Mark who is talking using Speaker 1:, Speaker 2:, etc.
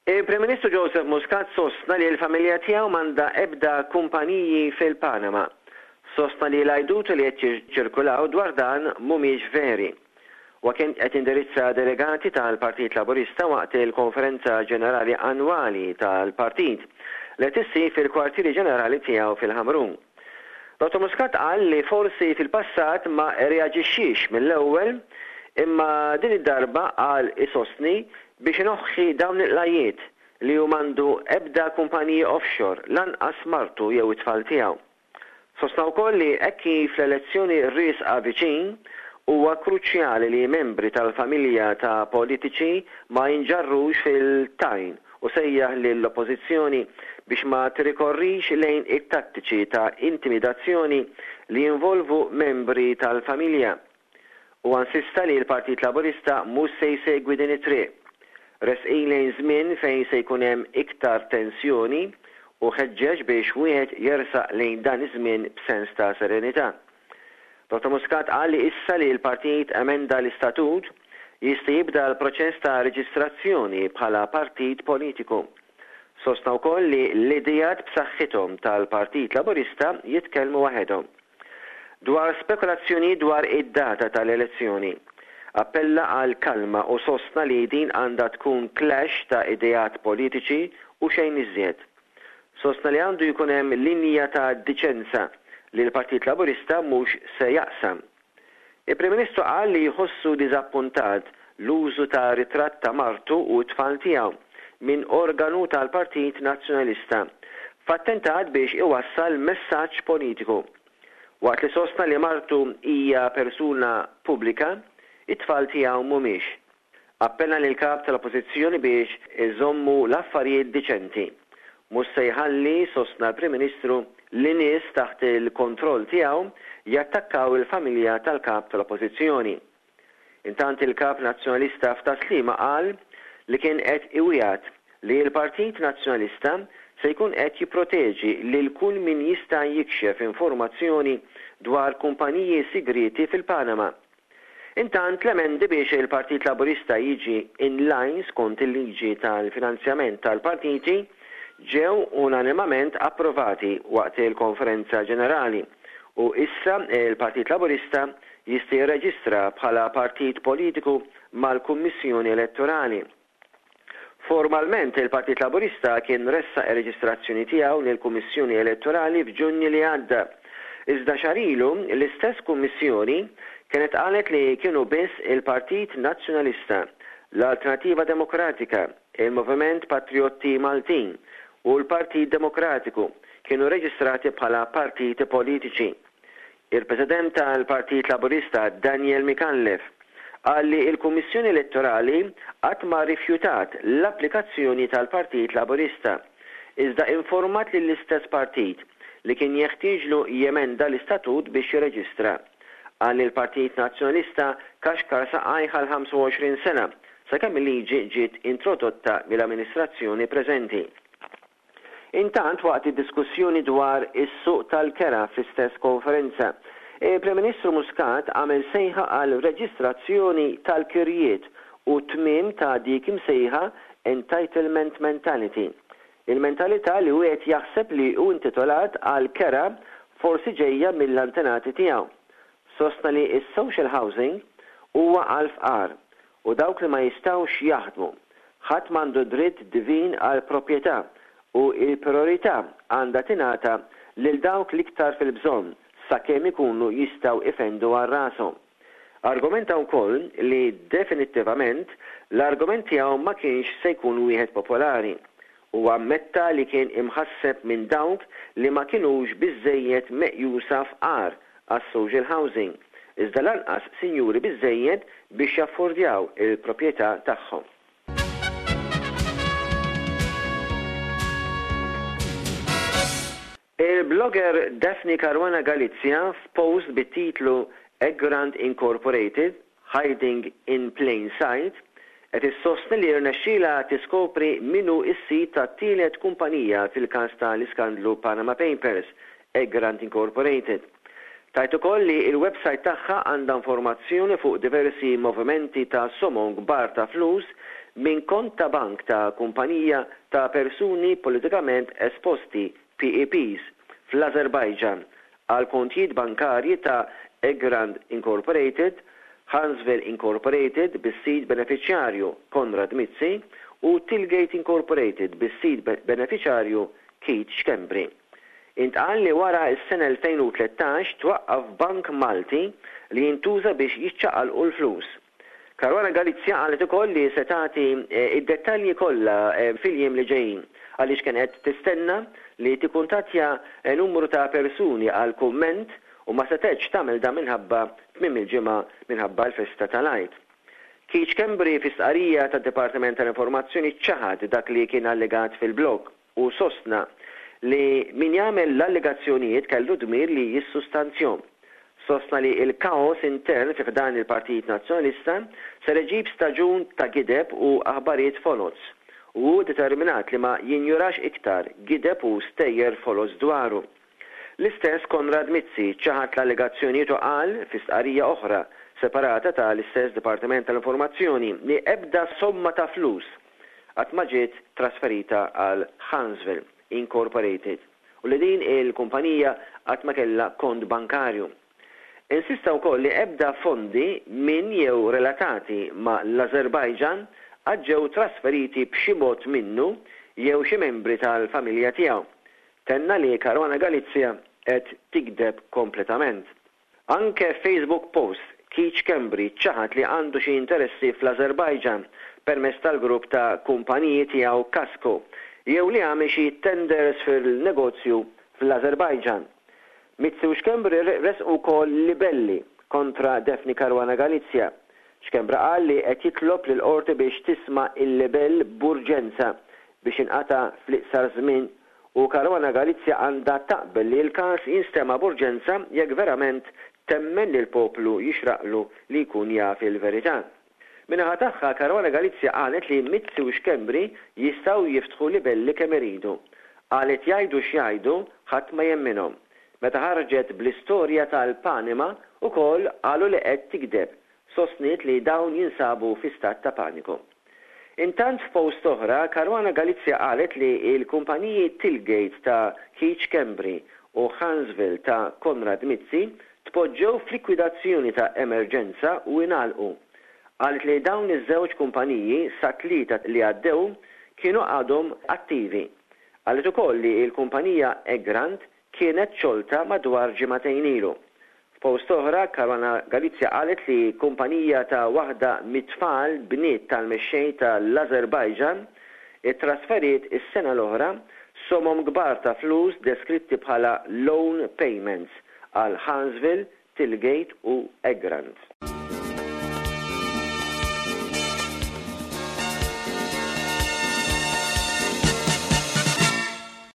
Speaker 1: Il-Prim Ministru Joseph Muscat sostna li l-familja tiegħu m'għandha ebda kumpaniji fil-Panama. Sostna li l-għajduti li qed jiċċirkulaw dwar dan mhumiex veri. Huwa kien qed jindirizza delegati tal-Partit Laburista waqt il-Konferenza Ġenerali Annwali tal-Partit li qed issir fil-kwartieri ġenerali tiegħu fil-Ħamrun. Dottor Muscat qal li forsi fil-passat ma rreaġixxiex mill-ewwel imma din id-darba qal isostni biex inoħħi dawn il-qlajjiet li hu m'għandu ebda kumpaniji offshore lanqas martu jew it-tfal tiegħu. Sostna wkoll li hekk kif l-elezzjoni riesqa viċin, huwa kruċjali li membri tal-familja ta' politiċi ma jinġarrux fil-tajn u sejjaħ lill-Oppożizzjoni biex ma tirrikorrix lejn it-tattiċi ta' intimidazzjoni li jinvolvu membri tal-familja. Huwa insista li l-Partit Laburista mhux se jsegwi din it-triq. Resqin lejn żmien fejn se jkun hemm iktar tensjoni u ħeġġeġ biex wieħed jersaq lejn dan iż-żmien b'sens ta' serenità. Dottor Muscat qal li issa li l-partit emenda l-istatut, jista' jibda l-proċess ta' reġistrazzjoni bħala partit politiku. Sostna wkoll li l-ideat b'saħħithom tal-Partit Laburista jitkellmu waħedhom. Dwar spekulazzjonijiet dwar id-data tal-elezzjoni, appella għal kalma u sostna li din għandha tkun clash ta' ideat politiċi u xejn iżjed. Sostna li għandu jkun hemm linja ta' diċenza li l-Partit Laburista mhux se jaqsam. Il-Prim Ministru qal li jħossu diżappuntat l-użu ta' ritratt ta' martu u t-tfal tiegħu minn organu tal-Partit Nazzjonalista f'attentat biex iwassal messaġġ politiku. Waqt li sostna li martu hija persuna pubblika, it-tfal tiegħu mhumiex. Appella lill-Kap tal-Oppożizzjoni biex iżommu l-affarijiet diċenti. Mhux se jħalli, sostna l-Prim Ministru, li nies taħt il-kontroll tiegħu jattakkaw il-familja tal-Kap tal-Oppożizzjoni. Intant il-Kap Nazzjonalista f'Tas-Sliema qal li kien qed iwiegħed li l-Partit Nazzjonalista se jkun qed jipproteġi lil kull min jista' jikxef informazzjoni dwar kumpaniji sigrieti fil-Panama. Intant l-emendi biex il-Partit Laburista jiġi in line skont il-liġi tal-finanzjament tal-partiti ġew unanimament approvati waqt il-Konferenza Ġenerali u issa l-Partit Laburista jista' jirreġistra bħala partit politiku mal-Kummissjoni Elettorali. Formalment, il-Partit Laburista kien ressaq ir-reġistrazzjoni tiegħu lill-Kummissjoni Elettorali f'Ġunju li għadda. Iżda xahar ilu, l-istess Kummissjoni kienet qalet li kienu biss il-Partit Nazzjonalista, l-Alternattiva Demokratika, il-Moviment Patrijotti Maltin u l-Partit Demokratiku kienu reġistrati bħala partiti politiċi. Il-President tal-Partit Laburista Daniel Micallef qal li l-Kummissjoni Elettorali qatt ma rrifjutat l-applikazzjoni tal-Partit Laburista, iżda informat lill-istess partit li kien jeħtieġlu jemenda l-istatut biex jirreġistra. Qal li l-Partit Nazzjonalista kaxkar saqajh għal 25 sena sakemm il-liġi ġiet introdotta mill-amministrazzjoni preżenti. Intant, waqt id-diskussjoni dwar is-suq tal-kera fl-istess konferenza, il-Prim Ministru Muscat għamel sejħa għal reġistrazzjoni tal-kirjiet u t-tmiem ta' dik imsejħa entitlement mentality, il-mentalità li wieħed jaħseb li hu intitolat għal kera forsi ġejja mill-antenati tiegħu. Sostna li s-social housing huwa għall-fqar u dawk li ma jistgħux jaħdmu. Ħadd m'għandu dritt divin għall-proprjetà u l-prijorità għandha tingħata lil dawk l-iktar fil-bżonn sakemm ikunu jistgħu ifendu għal rashom. Argumenta wkoll li definittivament l-argument tiegħu ma kienx se jkun wieħed popolari. Huwa ammetta li kien imħasseb minn dawk li ma kinux biżżejjed meqjusa fqar għas-social housing, iżda lanqas sinjuri biżżejjed biex jaffordjaw il-proprjetà tagħhom. Il-blogger Daphne Caruana Galizia f'post bit-titlu Egrant Incorporated, Hiding in Plain Sight qed issostni li rnexxielha tiskopri min hu s-sid tat-tielet kumpanija fil-każ ta' l-iskandlu Panama Papers, Egrant Incorporated. Tgħid ukoll li l-websajt tagħha għandha informazzjoni fuq diversi movimenti ta' somom kbar ta' flus minn kont ta' bank ta' kumpanija ta' persuni politikament esposti, PEPs, fl-Ażerbajġan għal kontijiet bankarji ta' Egrant Incorporated, Huntsville Incorporated bis-sid benefiċjarju Konrad Mizzi u Tillgate Incorporated bis-sid benefiċarju Keith Schembri. Intqal li wara s-sena 2013 twaqqaf bank Malti li jintuża biex jiċċaqalqu l-flus. Caruana Galizia qalet ukoll li se tagħti d-dettalji kollha fil-jiem li ġejjin għaliex kien qed tistenna li tikkuntattja numru ta' persuni għal kumment u ma setgħetx tagħmel dan minħabba tmiem il-ġimgħa minħabba l-festa tal-Għid. Keith Schembri fi stqarrija tad-Dipartiment tal-Informazzjoni ċaħad dak li kien allegat fil-blog. u sostna li min jagħmel l-allegazzjonijiet kellu dmir li jissustanzjhom. Sostna li l-kaos intern fi ħdan il-Partit Nazzjonalista ser iġib staġun ta' gideb u aħbarijiet foloz u hu determinat li ma jinjurax iktar gideb u stejjer foloz dwaru. L-istess Konrad Mizzi ċaħad l-allegazzjonijiet u qal, fi stqarrija oħra separata ta' l-istess Dipartiment tal-Informazzjoni, li ebda somma ta' flus qatt ma ġiet trasferita għal Huntsville Incorporated u li din il-kumpanija qatt ma kellha kont bankarju. Insista wkoll li ebda fondi minn jew relatati ma' l-Ażerbajġan qatt ġew trasferiti b'xi mod minnu jew xi membri tal-familja tiegħu. Tenna li Caruana Galizia qed tigdeb kompletament. Anke f'Facebook post, Keith Schembri ċaħad li għandu xi interessi fl-Ażerbajġan permezz tal-grupp ta' kumpaniji tiegħu Kasco jew li għamel xi tenders fil-negozju fl-Ażerbajġan. Mizzi u Schembri ressqu wkoll libelli kontra Daphne Caruana Galizia. Schembri qal li qed jitlob lill-Qorti biex tisma' l-libell b'urġenza biex jinqata' fl-iqsar żmien u Caruana Galizia għandha taqbel li l-każ jinstema' b'urġenza jekk verament temmen li l-poplu jixraqlu li jkun jaf il-verità. Min-naħa tagħha, Caruana Galizia qalet li Mizzi u Schembri jistgħu jiftħu libelli kemm iridu. Qalet jgħidu x'jgħidu, ħadd ma jemminhom. Meta ħarġet bl-istorja tal-Panima ukoll qalu li qed tigdeb. Sostniet li dawn jinsabu fi stat ta' paniku. Intant f'post oħra, Caruana Galizia qalet li l-kumpaniji Tillgate ta' Keith Schembri u Huntsville ta' Konrad Mizzi tpoġġew f'likwidazzjoni ta' emerġenza u ingħalqu. Qalet li dawn iż-żewġ kumpaniji sat-Tlieta li għaddew kienu għadhom attivi. Qalet ukoll li l-kumpanija Egrant kienet xolta madwar ġimagħtejn ilu. F'post oħra, Caruana Galizia qalet li kumpanija ta' waħda mit-tfal bniet tal-mexxej ta' l-Ażerbajġan ittrasferiet is-sena l-oħra somom kbar ta' flus deskritti bħala loan payments għal Huntsville, Tillgate u Egrant.